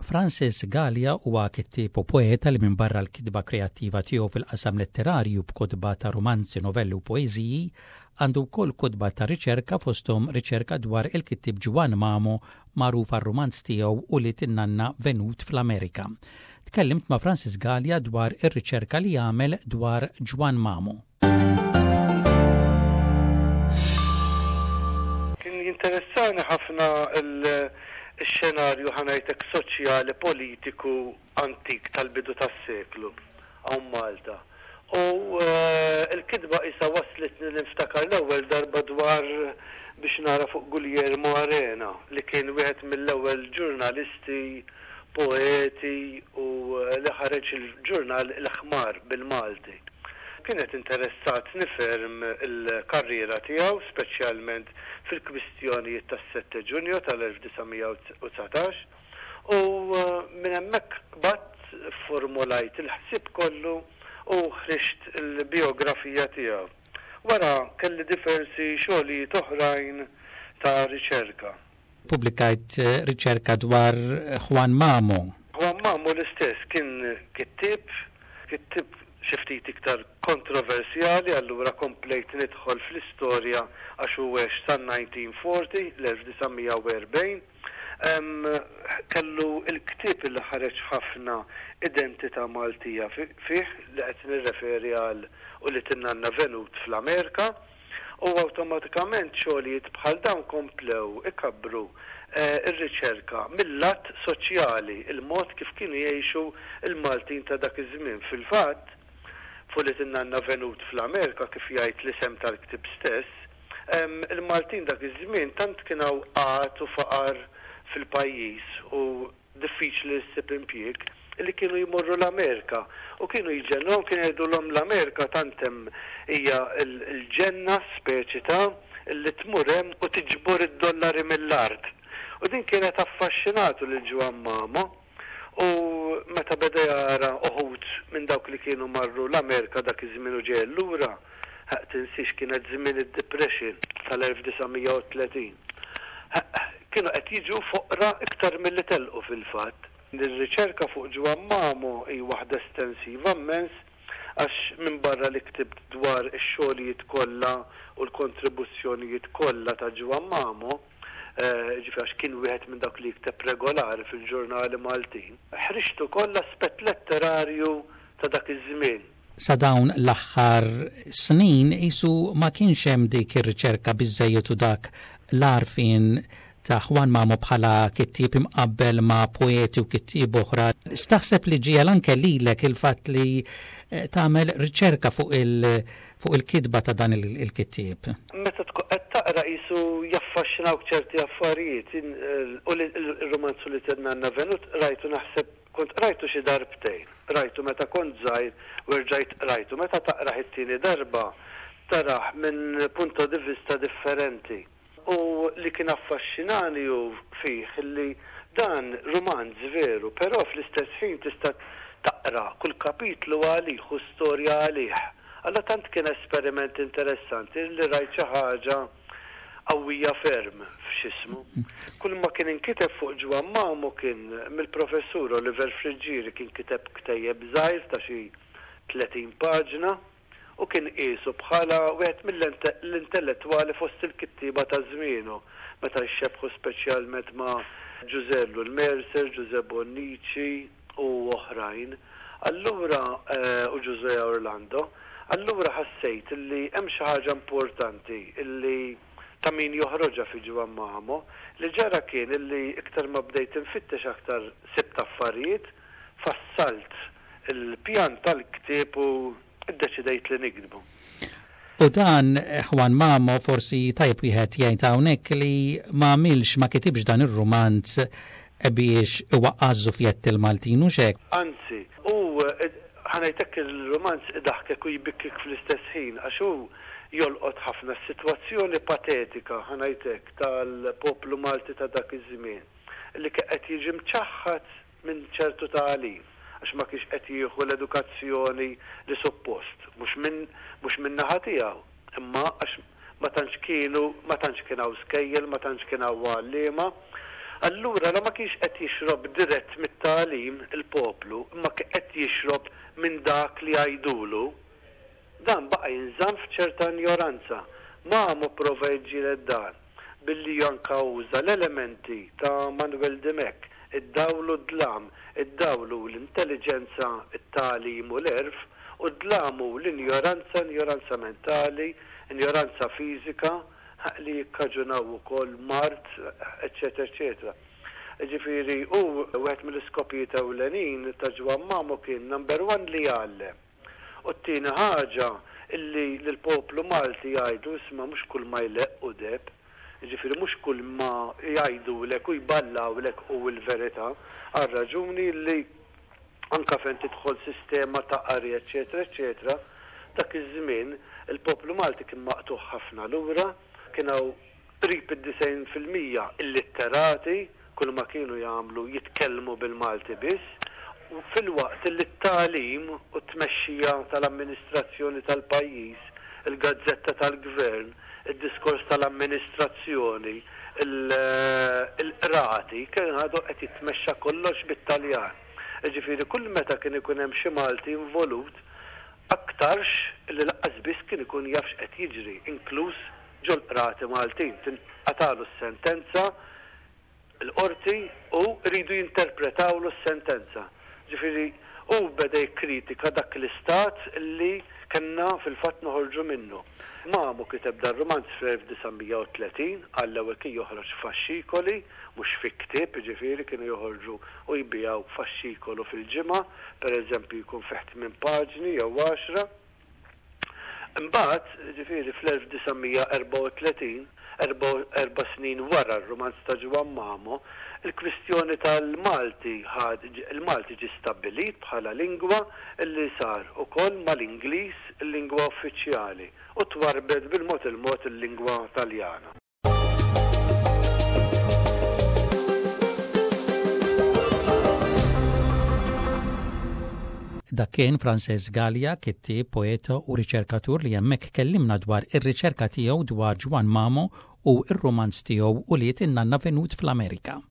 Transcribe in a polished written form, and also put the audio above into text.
Francis Galea huwa kittieb u poeta li minbarra l-kitba kreattiva tiegħu fil-qasam letterarju b'kotba ta' rumanzi, novelli u poeżiji, għandu wkoll kotba ta' riċerka fosthom riċerka dwar il-kittieb Ġwann Mamo magħruf għar-rumanz tiegħu Ulied in-Nanna Venut fl-Amerika. Tkellimt ma' Francis Galea dwar ir-riċerka li għamel dwar Ġwann Mamo. Kien jinteressani ħafna x-xenarju ħa ngħid hekk soċjali politiku antik tal-bidu tas-seklu hawn Malta. U l-kitba qisha wasslitni li nftakar l-ewwel darba dwar biex nara fuq Guglielmo Arena li kien wieħed mill-ewwel ġurnalisti, poeti u li ħareġ il-ġurnal Il-Ħmar bil-Malti. Kienet interessatni ferm il-karriera tiegħu, speċjalment fil-kwistjonijiet tas-Sette Giugno tal-1919, u minn hemmhekk qbadt fformulajt il-ħsieb kollu u ħriġt il-bijografija tiegħu. Wara kelli diversi xogħlijiet oħrajn ta' riċerka. Pubblikajt riċerka dwar Juan Mamo. Juan Mamo l-istess kien kittieb, kittieb xi ftit iktar kontroversjali allura komplejt nidħol fl-istorja għax hu għex san-1940, l-1940. Kellu l-ktieb li ħareġ ħafna identità Maltija fih li qed nirreferi għal Ulied in-Nanna Venut fl-Amerika. U awtomatikament xogħlijiet bħal dawn komplew ikabbru r-riċerka mil-lat soċjali, il-mod kif kienu jgħixu l-Maltin ta' dak iż-żmien. Fil-fatt, f'Ulied in-Nanna Venut fl-Amerika, kif jgħid l-isem tal-ktieb stess, il-Maltin dak iż-żmien tant kien hawn qgħad u faqar fil-pajjiż u diffiċli li ssib impjieg, li kienu jmorru l-Amerika u kienu jġennuhom, kienu jgħidulhom l-Amerika tant hemm hija l-ġenna speċi ta' li tmur hemm u tiġbor id-dollari mill-art. U din kienet affaxxinatu lil Ġwann Mamo u meta beda jara uħud minn dawk li kienu marru l-Amerika dak iż-żmien u ġejjin lura, Ħeqq tinsiex kienet żmien id-Depression tal-1930. Ħeqq kienu qed jiġu foqra iktar milli telqu fil-fatt. Ir-riċerka fuq Ġwann Mamo hi waħda estensiva mmens għax minbarra li ktibt dwar ix-xogħlijiet kollha u l-kontribuzzjonijiet kollha ta' Ġwann Mamo, jiġifieri għax kien wieħed minn dawk li jikteb regolari fil-ġurnali Maltin, ħriġt ukoll l-aspett letterarju ta' dak iż-żmien. Sa dawn l-aħħar snin qisu ma kienx hemm dik ir-riċerka biżżejjed u dak l-għarfien ta' Juan Mamo bħala kittieb imqabbel ma' poeti u kittieb oħra. X'taħseb li ġiegħel anke lilek il-fatt li tagħmel riċerka fuq il fuq il-kitba ta' dan il-kittieb? Meta tkun qed taqra qisu jaffaxxinawk ċerti affarijiet. U l-rumanz Ulied in-Nanna Venut qrajtu naħseb Kont qrajtu xi darbtejn. Qrajtu meta kont żgħir u erġajt qrajtu. Meta taqrah it-tieni darba, tarah minn punto di vista differenti. U li kien affaxxinani hu fih li dan rumanz veru, però fl-istess ħin tista' taqra kull kapitlu għalih u storja għalih. Allura tant kien esperiment interessanti li rajt xi ħaġa qawwija ferm f'x'ismu. Kull ma kien inkiteb fuq Ġwann Mamo kien mill-Professur Oliver Friggieri kien kiteb ktejjeb żgħir ta' xi 30 paġna u kien qiesu bħala wieħed mill-intellettwali fost il-kittieba ta' żmienu meta jxebbħu speċjalment ma' Ġużè Ellul Mercer, Ġużè Bonnici u oħrajn. Allura u Ġużè Orlando. Allura ħassejt li hemm xi ħaġa importanti li ta' min joħroġha fi Ġwann Mamo. Li ġara kien li iktar ma bdejt infittex aktar sibt affarijiet, fassalt il-pjan tal-ktieb u ddeċidejt li niktbu. U dan Juan Mamo forsi tajjeb wieħed jgħid hawnhekk li ma għamilx ma kitibx dan ir-rumanz biex iwaqqa' ż-żufjett il-Maltin hux hekk? Anzi, hu ħa ngħid hekk il-rumanz idaħħkek u jbikkik fl-istess ħin għax hu jolqot ħafna s-sitwazzjoni patetika, ħa ngħid hekk, tal-poplu Malti ta' dak iż-żmien li kien qed jiġi mċaħħad minn ċertu tagħlim għax ma kienx qed jieħu l-edukazzjoni li suppost, mhux minn mhux min-naħa tiegħu, imma għax ma tantx kienu ma tantx kien hawn skejjel, ma tantx kien hawn għalliema. Allura la ma kienx qed jixrob dirett mit. tagħlim il-poplu imma qed jixrob minn dak li jgħidulu, dan baqa' jinżamm f'ċerta injoranza. Mamo pprova jiġġieled dan billi anka uża l-elementi ta' Manuel Dimech, id-dawl u d-dlam, id-dawl hu l-intelliġenza, it-tagħlim u l-għerf, u d-dlam hu l-injoranza, injoranza mentali, injoranza fiżika, li jikkaġunaw ukoll mard, eċċetera eċċetera. Jiġifieri hu wieħed mill-iskopijiet ewlenin ta' Ġwann Mamo kien number one li jgħallem. U t-tieni ħaġa illi lill-poplu Malti jgħidlu isma' mhux kull ma jleqq hu deheb. Jiġifieri mhux kull ma jgħidulek u jballawlek hu l-verità għar-raġuni li anke fejn tidħol sistema ta' qari eċċetera eċċetera, dak iż-żmien il-poplu Malti kien maqtugħ ħafna lura, kien hawn qrib id-90% illitterati, kull ma kienu jagħmlu jitkellmu bil-Malti biss, filwaqt li t-tagħlim u t-tmexxija tal-amministrazzjoni tal-pajjiż, il-gazzetta tal-gvern, id-diskors tal-amministrazzjoni, il-qrati, kien għadu qed jitmexxa kollox bit-Taljan. Jiġifieri kull meta kien ikun hemm xi Malti involut, aktarx li lanqas biss kien ikun jaf x'qed jiġri, inkluż ġol-qrati Maltin. Tinqatagħlu s-sentenza, il-qorti u jridu jinterpretawlu s-sentenza. Ġifieri hu beda jikkritika dak l-istat li kellna fil-fatt noħorġu minnu. Mamo kiteb dar-rumanz fl-1930, għall-ewwel kien joħroġ f'faxxikoli, mhux fi ktieb, jiġifieri kienu joħorġu u jbigħu faxxikolu fil-ġimgħa, pereżempju jkun fih tmien paġni jew għaxra. Imbagħad, jiġifieri fl-1934, erba' snin wara r-rumanz ta' Ġwann Mamo, il-kwistjoni tal-Malti ħad, il-Malti ġie stabbilit bħala lingwa li sar ukoll mal-Ingliż il-lingwa uffiċjali u twarrbet bil-mod il-mod il-lingwa Taljana. Dak kien Frances Galea, kittieb, poeta u riċerkatur li hemmhekk kellimna dwar ir-riċerka tiegħu dwar Ġwann Mamo u r-rumanz tiegħu Ulied in-Nanna Venut fl-Amerika.